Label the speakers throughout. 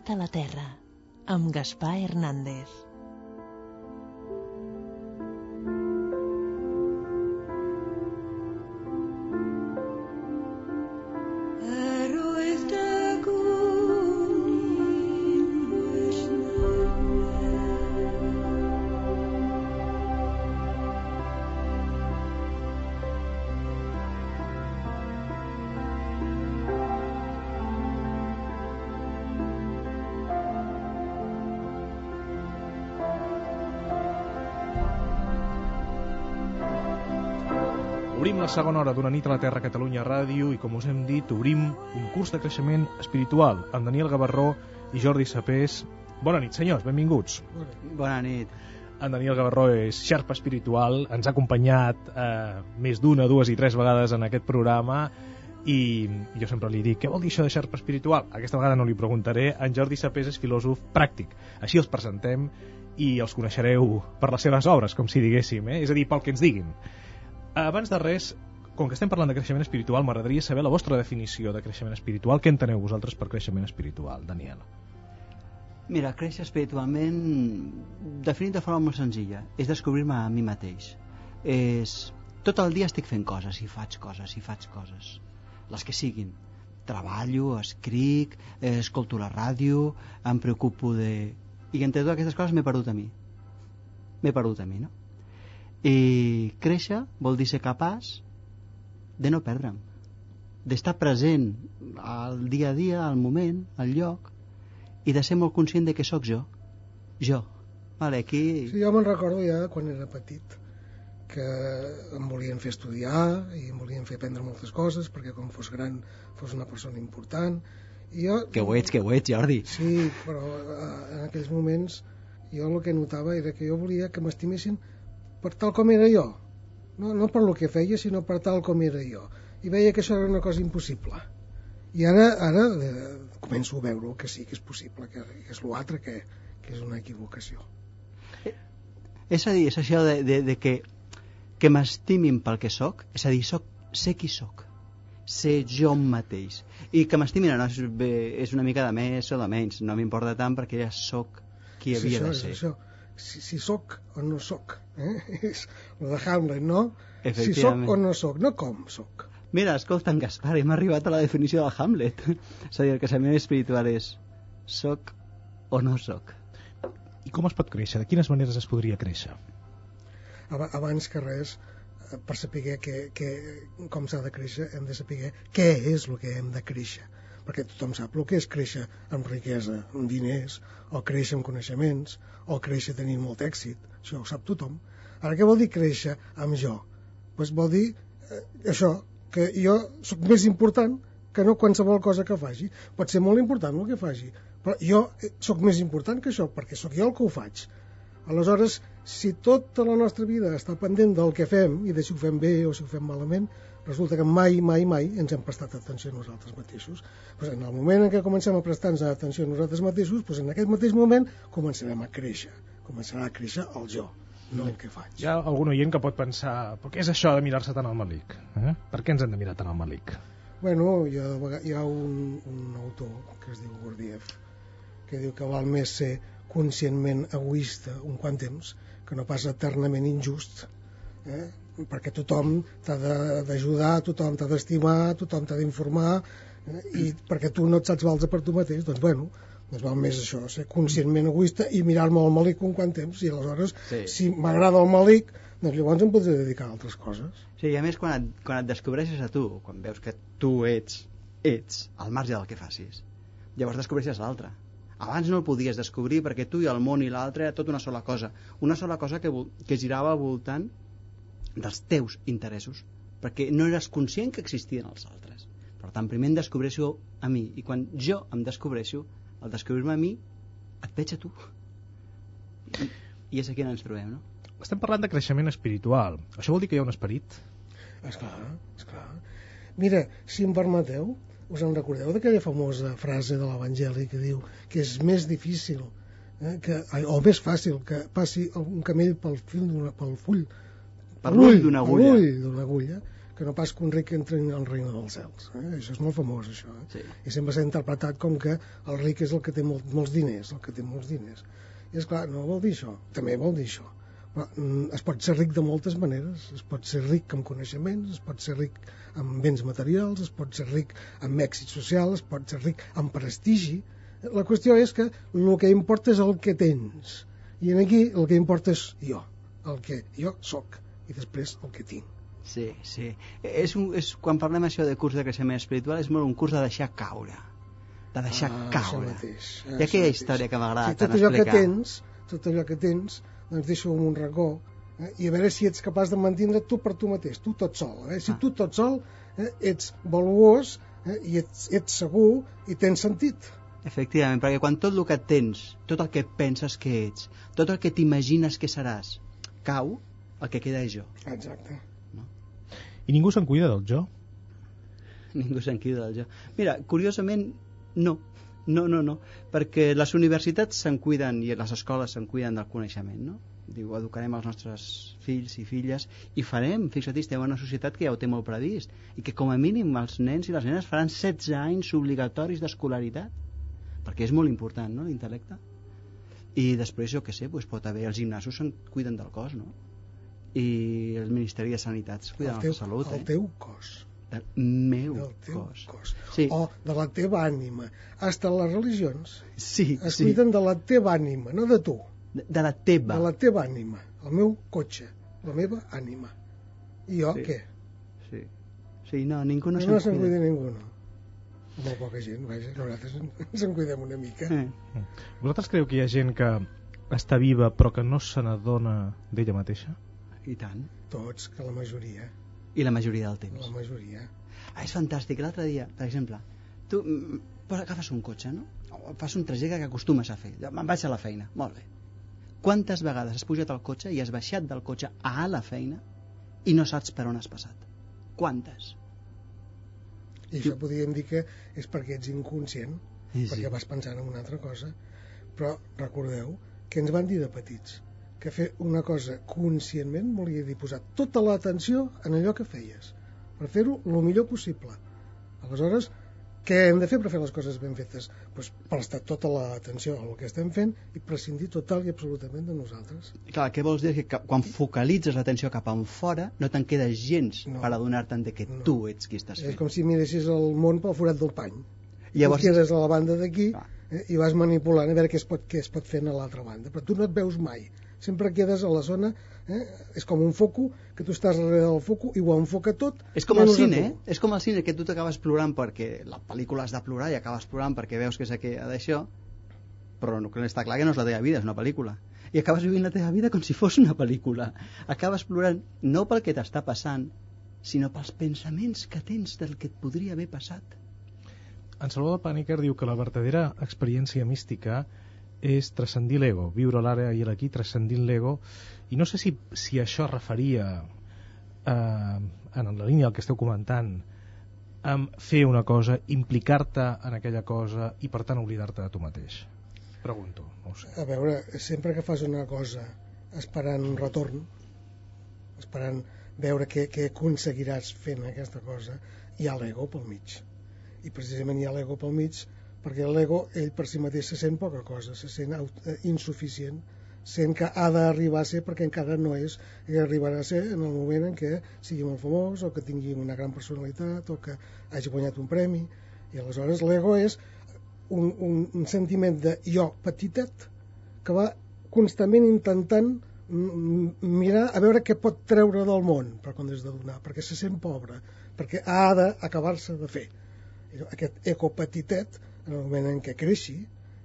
Speaker 1: nit a la Terra, amb Gaspar Hernández.
Speaker 2: Obrim la segona hora d'Una nit a la Terra a Catalunya Ràdio i, com us hem dit, obrim un curs de creixement espiritual amb Daniel Gavarró i Jordi Sapés. Bona nit, senyors, benvinguts.
Speaker 3: Bona nit.
Speaker 2: En Daniel Gavarró és xarpa espiritual, ens ha acompanyat més d'una, dues i tres vegades en aquest programa i jo sempre li dic, què vol dir això de xarpa espiritual? Aquesta vegada no li preguntaré. En Jordi Sapés és filòsof pràctic. Així els presentem i els coneixereu per les seves obres, com si diguéssim, és a dir, pel que ens diguin. Abans de res, com que estem parlant de creixement espiritual, m'agradaria saber la vostra definició de creixement espiritual. Què enteneu vosaltres per creixement espiritual, Daniel?
Speaker 3: Mira, créixer espiritualment, definit de forma molt senzilla, és descobrir-me a mi mateix. Tot el dia estic fent coses, i faig coses, les que siguin. Treballo, escric, escolto la ràdio, em preocupo de... I entre totes aquestes coses m'he perdut a mi, no? I créixer vol dir ser capaç de no perdre'm, d'estar present al dia a dia, al moment, al lloc, i de ser molt conscient de que sóc jo. Vale, aquí...
Speaker 4: Sí, jo me'n recordo ja quan era petit que em volien fer estudiar i em volien fer aprendre moltes coses perquè quan fos gran fos una persona important i jo...
Speaker 3: Que ho ets, Jordi.
Speaker 4: Sí, però en aquells moments jo el que notava era que jo volia que m'estimessin per tal com era jo, no per lo que feia, sinó per tal com era jo, i veia que això era una cosa impossible. I ara començo a veure que sí que és possible, que és l'altre, que és una equivocació.
Speaker 3: És a dir, és això de que m'estimin pel que sóc, és a dir, sé qui sóc, ser jo mateix, i que m'estimin no és una mica de més o de menys, no m'importa tant perquè ja sóc qui havia de ser.
Speaker 4: És això. Si sóc o no sóc, és el de Hamlet, no? Si sóc o no sóc, no com sóc.
Speaker 3: Mira, escolta, en Gaspar, hem arribat a la definició de Hamlet. És a dir, el creixement espiritual és sóc o no sóc.
Speaker 2: I com es pot créixer? De quines maneres es podria créixer?
Speaker 4: Abans que res, per saber com s'ha de créixer, hem de saber què és el que hem de créixer. Perquè tothom sap el que és créixer amb riquesa, amb diners, o créixer amb coneixements, o créixer tenint molt èxit. Això ho sap tothom. Ara, què vol dir créixer amb jo? Pues vol dir això, que jo sóc més important que no qualsevol cosa que faci. Pot ser molt important el que faci, però jo sóc més important que això, perquè sóc jo el que ho faig. Aleshores, si tota la nostra vida està pendent del que fem, i de si ho fem bé o si ho fem malament, resulta que mai ens hem prestat atenció a nosaltres mateixos. Pues en el moment en què comencem a prestar-nos atenció a nosaltres mateixos, pues en aquest mateix moment començarem a créixer. Començarà a créixer el jo, no el que faig.
Speaker 2: Hi ha algun oient que pot pensar, però què és això de mirar-se tant al malic? Per què ens hem de mirar tant al malic?
Speaker 4: Bueno, hi ha un autor que es diu Gurdjieff, que diu que val més ser conscientment egoista un quant temps que no pas eternament injust, perquè tothom t'ha d'ajudar, tothom t'ha d'estimar, tothom t'ha d'informar, i perquè tu no et saps valdre per tu mateix, doncs val més això, ser conscientment egoista i mirar-me al malic un quant temps, i aleshores si m'agrada el malic, doncs llavors em podré dedicar a altres coses.
Speaker 3: Sí, i a més quan et descobreixes a tu, quan veus que tu ets al marge del que facis, llavors descobreixes l'altre. Abans no el podies descobrir perquè tu i el món i l'altre era tot una sola cosa que girava al voltant dels teus interessos, perquè no eres conscient que existien els altres. Per tant, primer em descobreixo a mi, i quan jo em descobreixo, al descobrir-me a mi, et veig a tu. I és aquí on ens trobem, no?
Speaker 2: Estem parlant de creixement espiritual. Això vol dir que hi ha un esperit?
Speaker 4: Esclar. Mira, si em permeteu, us en recordeu d'aquella famosa frase de l'Evangeli que diu que és més difícil o més fàcil que passi un camell pel full d'una agulla, que no pas que un ric entri en el regne dels cels. Això és molt famós, això.
Speaker 3: Sí.
Speaker 4: I sempre s'ha interpretat com que el ric és el que té molts diners, el que té molts diners. I és clar, no vol dir això, també vol dir això. Però es pot ser ric de moltes maneres. Es pot ser ric amb coneixements, es pot ser ric amb béns materials, es pot ser ric amb èxit social, es pot ser ric amb prestigi. La qüestió és que el que importa és el que tens. I aquí el que importa és jo, el que jo sóc, i després el que tinc.
Speaker 3: Sí, sí. Quan parlem això de curs de creixement espiritual, és molt un curs de deixar caure. De deixar caure. I aquella història que m'agrada tant explicar.
Speaker 4: Tot allò que tens, doncs deixa-ho en un racó, i a veure si ets capaç de mantenir tu per tu mateix, tu tot sol. Si tu tot sol ets valuós i ets segur i tens sentit.
Speaker 3: Efectivament, perquè quan tot el que tens, tot el que penses que ets, tot el que t'imagines que seràs, cau, el que queda és jo.
Speaker 4: Exacte.
Speaker 3: No?
Speaker 2: I ningú se'n cuida del jo?
Speaker 3: Ningú se'n cuida del jo. Mira, curiosament, no, perquè les universitats se'n cuiden i les escoles se'n cuiden del coneixement, no? Diu, educarem els nostres fills i filles i farem, fixa't, estem en una societat que ja ho té molt previst i que com a mínim els nens i les nenes faran 16 anys obligatoris d'escolaritat, perquè és molt important, no?, l'intel·lecte. I després, jo què sé, doncs pot haver, els gimnasos se'n cuiden del cos, no? I el Ministeri de Sanitat es cuida de la salut.
Speaker 4: El teu cos.
Speaker 3: Del meu
Speaker 4: cos.
Speaker 3: Sí.
Speaker 4: O de la teva ànima. Hasta les religions es
Speaker 3: sí.
Speaker 4: cuiden de la teva ànima, no de tu.
Speaker 3: De la teva.
Speaker 4: De la teva ànima. El meu cotxe. La meva ànima. I jo,
Speaker 3: sí.
Speaker 4: Què?
Speaker 3: Sí, no, ningú no
Speaker 4: se'n cuida ningú, no. Molt poca gent, vaja, nosaltres ens en cuidem una mica.
Speaker 2: Vosaltres creu que hi ha gent que està viva però que no se n'adona d'ella mateixa?
Speaker 3: I tant.
Speaker 4: Tots, que la majoria.
Speaker 3: I la majoria del temps.
Speaker 4: La majoria.
Speaker 3: És fantàstic. L'altre dia, per exemple, tu agafes un cotxe, no? O fas un trajecte que acostumes a fer. Me'n vaig a la feina. Molt bé. Quantes vegades has pujat al cotxe i has baixat del cotxe a la feina i no saps per on has passat? Quantes?
Speaker 4: I això podríem dir que és perquè ets inconscient,
Speaker 3: sí.
Speaker 4: Perquè vas pensant en una altra cosa. Però recordeu que ens van dir de petits que fer una cosa conscientment volia dir posar tota l'atenció en allò que feies, per fer-ho el millor possible. Aleshores, què hem de fer per fer les coses ben fetes? Doncs prestar tota l'atenció al que estem fent i prescindir total i absolutament de nosaltres.
Speaker 3: Clar, què vols dir? Que quan focalitzes l'atenció cap enfora no te'n quedes gens per adonar-te'n que tu ets qui estàs fent.
Speaker 4: És com si miressis el món pel forat del pany.
Speaker 3: Llavors...
Speaker 4: Tu quedes a la banda d'aquí i vas manipulant a veure què es pot fer a l'altra banda, però tu no et veus mai. Sempre quedes a la zona, és com un foco, que tu estàs darrere del foco i ho enfoca tot.
Speaker 3: És com el cine, és com el cine, que tu t'acabes plorant perquè la pel·lícula has de plorar i acabes plorant perquè veus que és d'això, però no, que està clar que no és la teva vida, és una pel·lícula. I acabes vivint la teva vida com si fos una pel·lícula. Acabes plorant no pel que t'està passant, sinó pels pensaments que tens del que et podria haver passat.
Speaker 2: En Salvador Paniker diu que la verdadera experiència mística és transcendir l'ego, viure l'ara i l'aquí transcendint l'ego, i no sé si això referia en la línia del que esteu comentant, amb fer una cosa, implicar-te en aquella cosa i per tant oblidar-te de tu mateix. Pregunto, no ho sé.
Speaker 4: A veure, sempre que fas una cosa esperant un retorn, esperant veure què aconseguiràs fent aquesta cosa, hi ha l'ego pel mig. I precisament hi ha l'ego pel mig perquè l'ego, ell per si mateix se sent poca cosa, se sent insuficient, sent que ha d'arribar a ser perquè encara no és, i arribarà a ser en el moment en què sigui molt famós o que tingui una gran personalitat o que hagi guanyat un premi, i aleshores l'ego és un sentiment de jo petitet que va constantment intentant mirar a veure què pot treure del món per quan és de donar, perquè se sent pobre, perquè ha d'acabar-se de fer. Aquest ego petitet, en el moment en què creixi,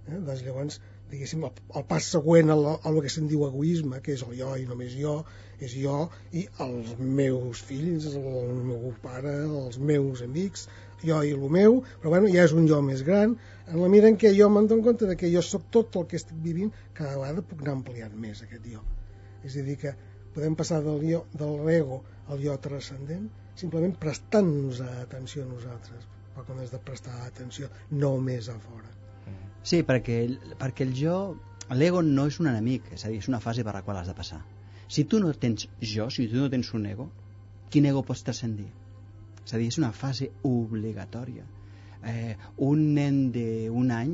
Speaker 4: doncs llavors, diguéssim, el pas següent al que se'n diu egoisme, que és el jo i només jo, és jo i els meus fills, el meu pare, els meus amics, jo i el meu, però bueno, ja és un jo més gran, en la mida en què jo me'n dono compte de que jo sóc tot el que estic vivint, cada vegada puc anar ampliant més aquest jo. És a dir, que podem passar de l'ego al jo transcendent simplement prestant-nos atenció a nosaltres, però quan has de prestar atenció només a fora.
Speaker 3: Sí, perquè el jo, l'ego no és un enemic, és a dir, és una fase per la qual has de passar. Si tu no tens jo, si tu no tens un ego, quin ego pots transcendir? És a dir, és una fase obligatòria. Un nen d'un any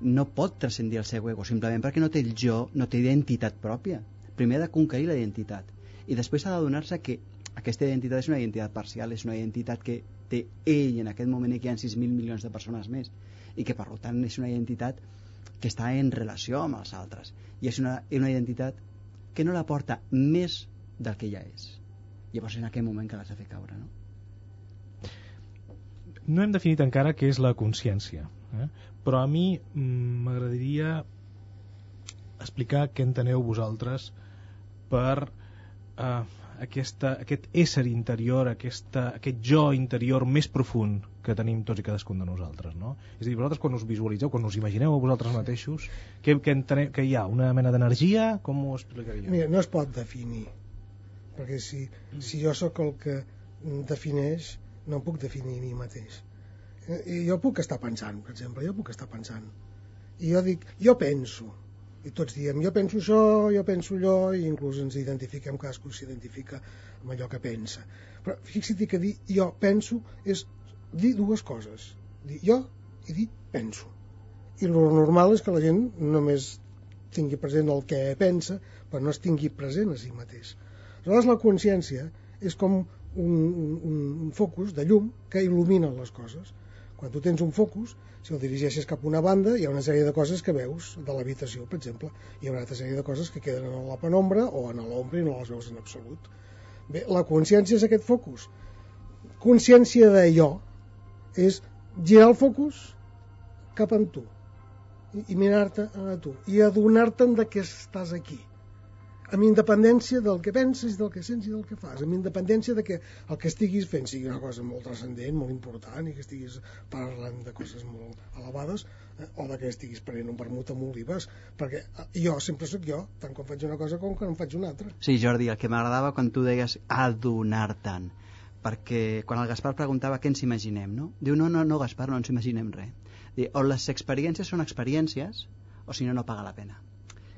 Speaker 3: no pot transcendir el seu ego simplement perquè no té el jo, no té identitat pròpia. Primer ha de conquerir la identitat i després ha d'adonar-se que aquesta identitat és una identitat parcial, és una identitat que té ell en aquest moment i que hi ha 6.000 milions de persones més i que per tant és una identitat que està en relació amb els altres i és una identitat que no la porta més del que ja és. Llavors és en aquell moment que l'has de fer caure, no?
Speaker 2: No hem definit encara què és la consciència, però a mi m'agradaria explicar què enteneu vosaltres per aquest ésser interior, aquest jo interior més profund que tenim tots i cadascun de nosaltres, no? És a dir, vosaltres quan us visualitzeu, quan us imagineu a vosaltres mateixos, que hi ha una mena d'energia, com ho explicaríeu?
Speaker 4: Mira, no es pot definir, perquè si jo sóc el que defineix, no em puc definir a mi mateix. Jo puc estar pensant, per exemple, i jo dic, jo penso, i tots diem, jo penso això, jo penso allò, i inclús ens identifiquem, cadascú s'identifica amb allò que pensa. Però fixa't que dir jo penso és dir dues coses, dir jo i dir penso. I el normal és que la gent només tingui present el que pensa, però no es tingui present a si mateix. Aleshores la consciència és com un focus de llum que il·lumina les coses. Quan tu tens un focus, si el dirigeixes cap a una banda, hi ha una sèrie de coses que veus de l'habitació, per exemple. Hi ha una altra sèrie de coses que queden en la penombra o en l'ombra i no les veus en absolut. Bé, la consciència és aquest focus. Consciència de jo és girar el focus cap a tu i mirar-te a tu i adonar-te'n de que estàs aquí, amb independència del que penses, del que sents i del que fas, amb independència de que el que estiguis fent sigui una cosa molt transcendent, molt important, i que estiguis parlant de coses molt elevades, o de que estiguis prenent un vermut amb olives, perquè jo sempre sóc jo, tant quan faig una cosa com quan en faig una altra.
Speaker 3: Sí, Jordi, el que m'agradava quan tu deies adonar-te'n, perquè quan el Gaspar preguntava què ens imaginem, no? Diu, no, Gaspar, no ens imaginem res. Diu, o les experiències són experiències, o si no, no paga la pena.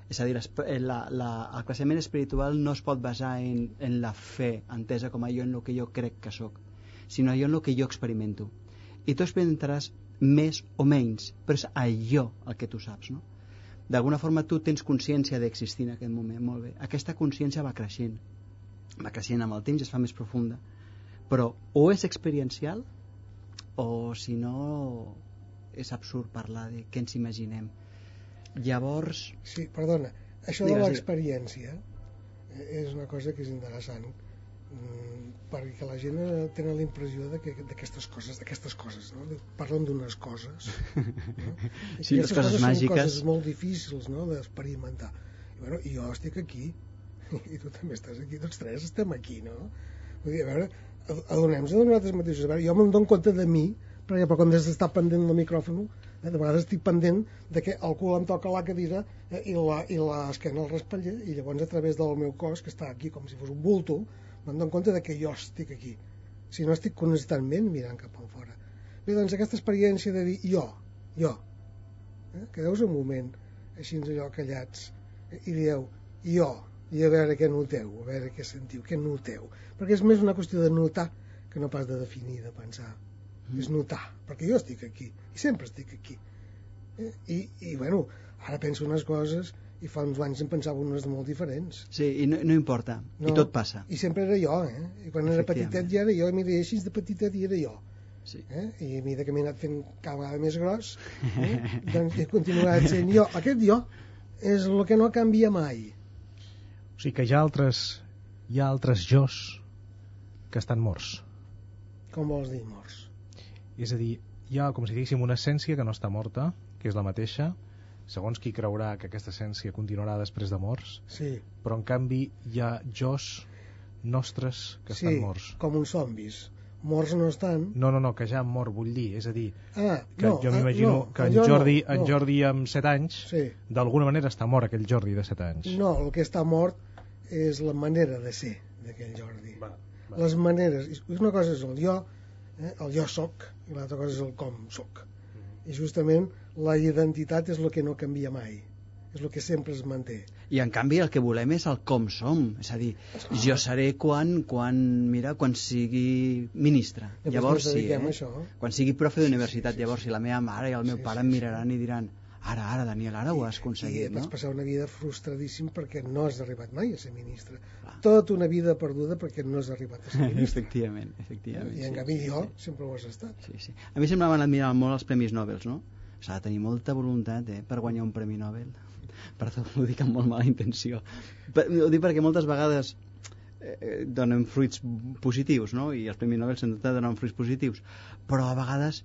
Speaker 3: És a dir, el creixement espiritual no es pot basar en la fe entesa com allò en el que jo crec que sóc, sinó allò en el que jo experimento. I tu experimentaràs més o menys, però és allò el que tu saps, no? D'alguna forma tu tens consciència d'existir en aquest moment, molt bé. Aquesta consciència va creixent amb el temps i es fa més profunda, però o és experiencial o si no és absurd parlar de què ens imaginem. Llavors...
Speaker 4: Sí, perdona, això de l'experiència és una cosa que és interessant, perquè la gent tenen la impressió d'aquestes coses, no? Parlen d'unes coses, no?
Speaker 3: Sí, les coses màgiques
Speaker 4: són coses molt difícils, no?, d'experimentar. I jo estic aquí i tu també estàs aquí, tots tres estem aquí, no? Vull dir, a veure, adonem-nos de nosaltres mateixos. A veure, jo me'n dono compte de mi, perquè quan has d'estar pendent del micròfon, de vegades estic pendent de que el cul em toca la cadira i l'esquena al respatller, i llavors a través del meu cos, que està aquí com si fos un bulto, me'n dono compte de que jo estic aquí, si no estic constantment mirant cap a fora. Bé, doncs aquesta experiència de dir jo, quedeu-vos un moment així allò callats i dieu jo, i a veure què noteu, a veure què sentiu, què noteu, perquè és més una qüestió de notar que no pas de definir, de pensar. És notar, perquè jo estic aquí i sempre estic aquí, i bueno, ara penso unes coses i fa uns anys en pensava unes molt diferents.
Speaker 3: Sí, i no importa, no, i tot passa.
Speaker 4: I sempre era jo, i quan era petitet ja era jo, i m'hi deia així de petitet i era jo.
Speaker 3: Sí.
Speaker 4: I a mesura que m'he anat fent cada vegada més gros, doncs he continuat sent jo. Aquest jo és el que no canvia mai.
Speaker 2: O sigui que hi ha altres jos que estan morts.
Speaker 4: Com vols dir morts?
Speaker 2: És a dir, hi ha com si diguéssim una essència que no està morta, que és la mateixa, segons qui creurà que aquesta essència continuarà després de morts,
Speaker 4: sí.
Speaker 2: Però en canvi hi ha jos nostres que estan morts.
Speaker 4: Sí, com uns zombis. Morts no estan.
Speaker 2: No, que ja han mort, vull dir, és a dir, jo m'imagino que en Jordi amb 7 anys, d'alguna manera està mort aquell Jordi de 7 anys.
Speaker 4: No, el que està mort és la manera de ser d'aquell Jordi. Les maneres, una cosa és el jo soc, i l'altra cosa és el com soc. I justament la identitat és el que no canvia mai. és el que sempre es manté.
Speaker 3: I en canvi el que volem és el com som, és a dir, jo seré quan sigui ministre, llavors sí, quan sigui profe d'universitat, llavors si la meva mare i el meu pare em miraran i diran ara, Daniel, ara ho has aconseguit,
Speaker 4: no? I vaig passar una vida frustradíssim perquè no has arribat mai a ser ministre. Tota una vida perduda perquè no has arribat a ser ministre.
Speaker 3: Efectivament.
Speaker 4: I en canvi jo sempre ho has estat.
Speaker 3: Sí. A mi sempre m'han admirat molt els Premis Nobel, no? S'ha de tenir molta voluntat per guanyar un Premi Nobel. Perdó, ho dic amb molt mala intenció. Ho dic perquè moltes vegades donen fruits positius, no? I els Premis Nobel s'han de donar fruits positius. Però a vegades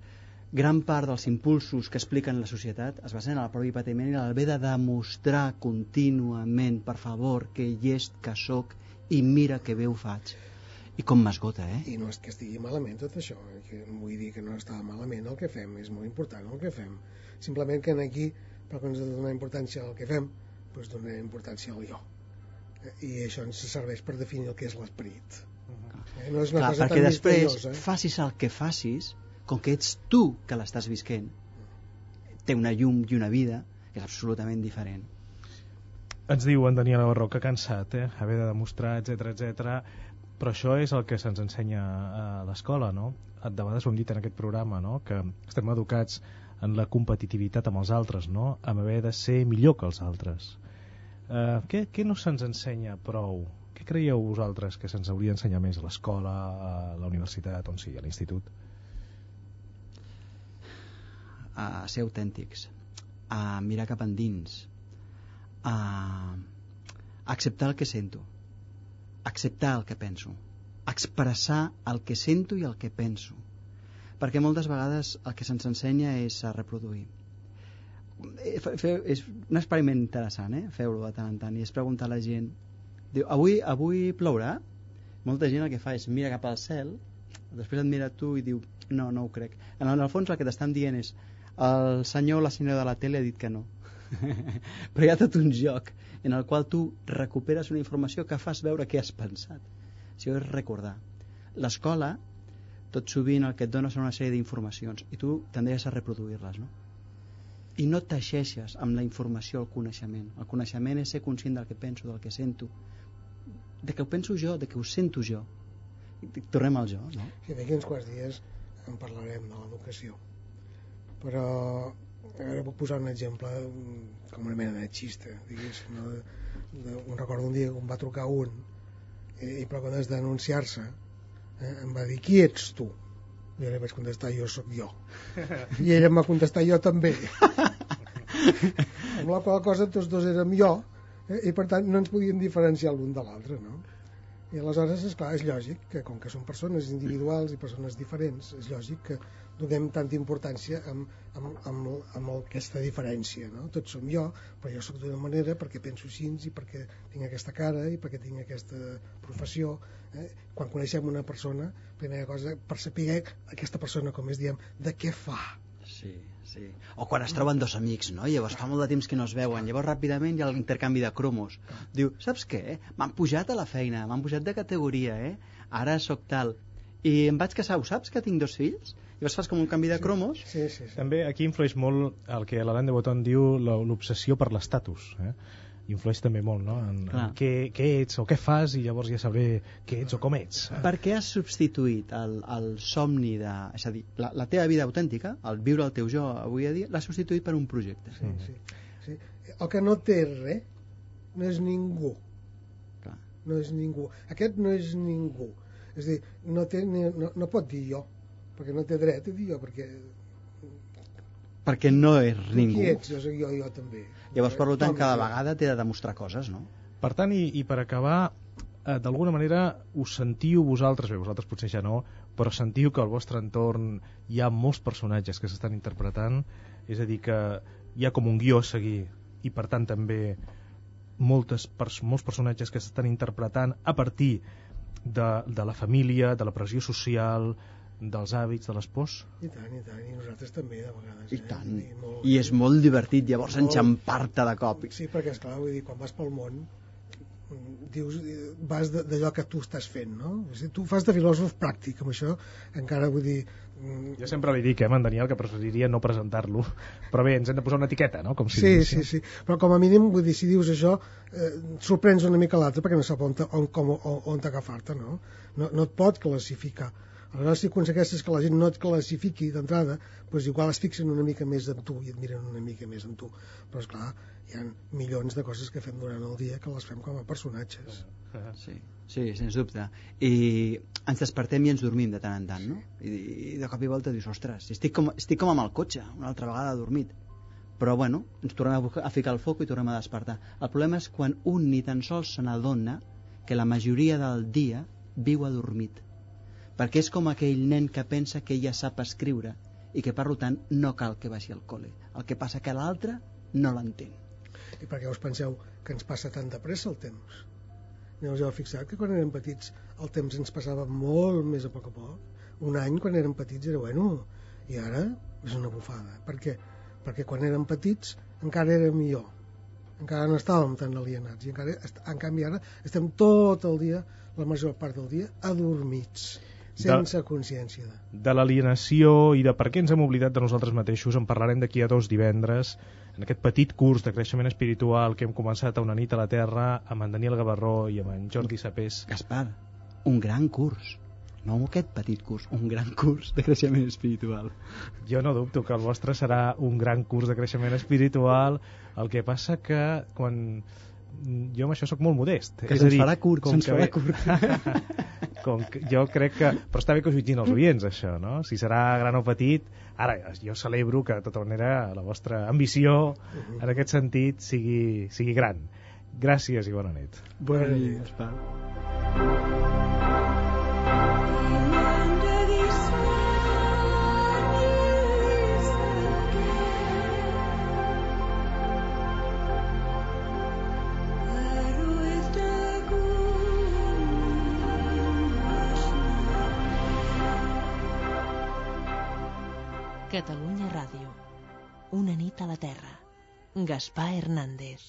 Speaker 3: gran part dels impulsos que expliquen la societat es basen en el propi patiment i l'haver de demostrar contínuament, per favor, que llest que soc i mira que bé ho faig. I com m'esgota,
Speaker 4: I no és que estigui malament tot això, que vull dir que no està malament el que fem, és molt important el que fem. Simplement que aquí, per quan ens ha de donar importància al que fem, doncs donar importància al jo. I això ens serveix per definir el que és l'esperit. No és una cosa
Speaker 3: perquè
Speaker 4: tan
Speaker 3: després
Speaker 4: misteriosa.
Speaker 3: Facis el que facis, com que ets tu que l'estàs visquent, té una llum i una vida que és absolutament diferent.
Speaker 2: Ens diu en Daniel Navarro que cansat, haver de demostrar, etc. Però això és el que se'ns ensenya a l'escola, no? De vegades ho hem dit en aquest programa, no? Que estem educats en la competitivitat amb els altres, no? En haver de ser millor que els altres. Què no se'ns ensenya prou? Què creieu vosaltres que se'ns hauria d'ensenyar més a l'escola, a la universitat, on sigui, a l'institut?
Speaker 3: A ser autèntics, a mirar cap endins, a acceptar el que sento, acceptar el que penso, expressar el que sento i el que penso, perquè moltes vegades el que se'ns ensenya és a reproduir. És un experiment interessant, feu-lo de tant en tant, i és preguntar a la gent, diu, avui plourà? Molta gent el que fa és mira cap al cel, després et mira tu i diu, no ho crec. En el fons el que t'estan dient és el senyor o la senyora de la tele ha dit que no. Però hi ha tot un joc en el qual tu recuperes una informació que fas veure què has pensat. Això és recordar. L'escola, tot sovint el que et dona són una sèrie d'informacions i tu tendeixes a reproduir-les, no? I no teixeixes amb la informació el coneixement. El coneixement és ser conscient del que penso, del que sento, de que ho penso jo, de que ho sento jo. Tornem al jo, no?
Speaker 4: Sí, d'aquí uns quants dies en parlarem de l'educació. Però ara puc posar un exemple com una mena de xista, diguéssim, no? Un recordo un dia que em va trucar un i per quan has d'anunciar-se em va dir, qui ets tu? I ara vaig contestar, jo sóc jo. I ella em va contestar, jo també. Amb la qual cosa tots dos érem jo, i per tant no ens podíem diferenciar l'un de l'altre, no? I aleshores, esclar, és lògic que com que són persones individuals i persones diferents, és lògic que donem tanta importància amb aquesta diferència, no? Tots som jo, però jo sóc d'una manera perquè penso així i perquè tinc aquesta cara i perquè tinc aquesta professió. Quan coneixem una persona, primera cosa, per saber aquesta persona, com diem, de què fa.
Speaker 3: Sí. O quan es troben dos amics, no? Llavors fa molt de temps que no es veuen, llavors ràpidament hi ha l'intercanvi de cromos. Diu, saps què? M'han pujat a la feina, m'han pujat de categoria, ara sóc tal. I em vaig casar, ho saps que tinc 2 fills? Llavors fas com un canvi de cromos.
Speaker 4: Sí.
Speaker 2: També aquí influeix molt el que l'Alain de Botton diu l'obsessió per l'estatus, influeix també molt, no? En què ets o què fas, i llavors ja sabré què ets o com ets.
Speaker 3: Per què has substituït el somni de... És a dir, la teva vida autèntica, el viure el teu jo avui a dia, l'has substituït per un projecte.
Speaker 4: Sí. El que no té res no és ningú.
Speaker 3: Clar.
Speaker 4: No és ningú. Aquest no és ningú. És a dir, no pot dir jo, perquè no té dret a dir jo,
Speaker 3: perquè no és ningú.
Speaker 4: Qui ets? Jo soc jo també.
Speaker 3: Llavors, per tant, cada vegada té de demostrar coses, no?
Speaker 2: Per tant, i per acabar, d'alguna manera us sentiu vosaltres potser ja no, però sentiu que al vostre entorn hi ha molts personatges que s'estan interpretant, és a dir, que hi ha com un guió a seguir, i per tant també molts personatges que s'estan interpretant a partir de la família, de la pressió social, dels hàbits, de les pors.
Speaker 4: I tant, i nosaltres també de vegades.
Speaker 3: I tant, i és molt divertit llavors enxampar-te de cop.
Speaker 4: Sí, perquè esclar, vull dir, quan vas pel món dius, vas d'allò que tu estàs fent, no? O sigui, tu fas de filòsof pràctic, amb això encara vull dir...
Speaker 2: Jo sempre li dic, en Daniel, que preferiria no presentar-lo, però bé, ens hem de posar una etiqueta, no? Com si
Speaker 4: sí, però com a mínim, vull dir, si dius això, sorprens una mica l'altre perquè no sap on agafar-te, no? No et pot classificar. Aleshores, si aconsegueixes que la gent no et classifiqui d'entrada, doncs igual es fixen una mica més en tu i et miren una mica més en tu. Però, esclar, hi ha milions de coses que fem durant el dia que les fem com a personatges.
Speaker 3: Sí, sens dubte. I ens despertem i ens dormim de tant en tant, no? I de cop i volta dius, ostres, estic com amb el cotxe, una altra vegada dormit. Però, bueno, ens tornem a ficar el foc i tornem a despertar. El problema és quan un ni tan sols se n'adona que la majoria del dia viu adormit. Perquè és com aquell nen que pensa que ja sap escriure i que, per tant, no cal que vagi al col·le. El que passa que l'altre no l'entén.
Speaker 4: I per què us penseu que ens passa tan de pressa el temps? Aneu-vos a fixar que quan érem petits el temps ens passava molt més a poc. Un any, quan érem petits, era bueno, i ara és una bufada. Per què? Perquè quan érem petits encara era millor. Encara no estàvem tan alienats. I en canvi ara estem tot el dia, la major part del dia, adormits. Sense consciència
Speaker 2: de l'alienació i de per què ens hem oblidat de nosaltres mateixos en parlarem d'aquí a 2 divendres en aquest petit curs de creixement espiritual que hem començat a Una nit a la Terra amb en Daniel Gavarró i amb en Jordi Sapés.
Speaker 3: Gaspar, un gran curs, no aquest petit curs, un gran curs de creixement espiritual.
Speaker 2: Jo no dubto que el vostre serà un gran curs de creixement espiritual, el que passa que quan... jo amb això sóc molt modest.
Speaker 3: Que se'ns farà curt,
Speaker 2: jo crec que... Però està bé que ho jutgin els oients, això, no? Si serà gran o petit... Ara, jo celebro que, de tota manera, la vostra ambició, en aquest sentit, sigui gran. Gràcies i bona nit.
Speaker 3: Bona nit, Gaspar.
Speaker 1: Catalunya Ràdio. Una nit a la Terra. Gaspar Hernández.